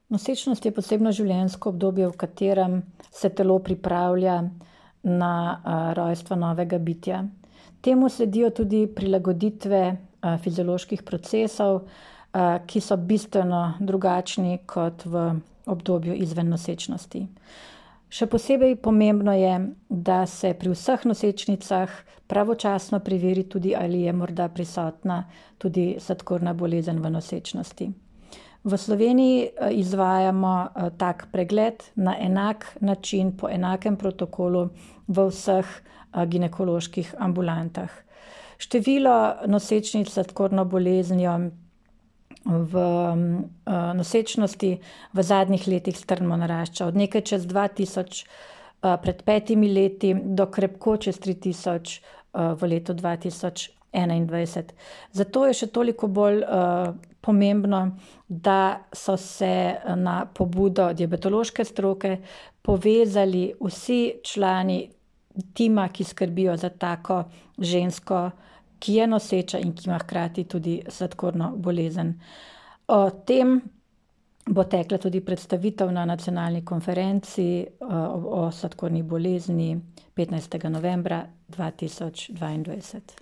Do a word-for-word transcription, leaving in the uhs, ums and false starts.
Nosečnost je posebno življenjsko obdobje, v katerem se telo pripravlja na rojstvo novega bitja. Temu sledijo tudi prilagoditve fizioloških procesov, ki so bistveno drugačni kot v obdobju izven nosečnosti. Še posebej pomembno je, da se pri vseh nosečnicah pravočasno preveri tudi, ali je morda prisotna tudi sladkorna bolezen v nosečnosti. V Sloveniji izvajamo tak pregled na enak način, po enakem protokolu v vseh ginekoloških ambulantah. Število nosečnic s sladkorno boleznijo v nosečnosti v zadnjih letih strmo narašča. Od nekaj čez dva tisoč pred petimi leti do krepko čez tri tisoč v letu dva tisoč enaindvajset. Zato je še toliko bolj pomembno, da so se na pobudo diabetološke stroke povezali vsi člani tima, ki skrbijo za tako žensko, ki je noseča in ki ima hkrati tudi sladkorno bolezen. O tem bo tekla tudi predstavitev na nacionalni konferenci o sladkorni bolezni petnajstega novembra dva tisoč dvaindvajset.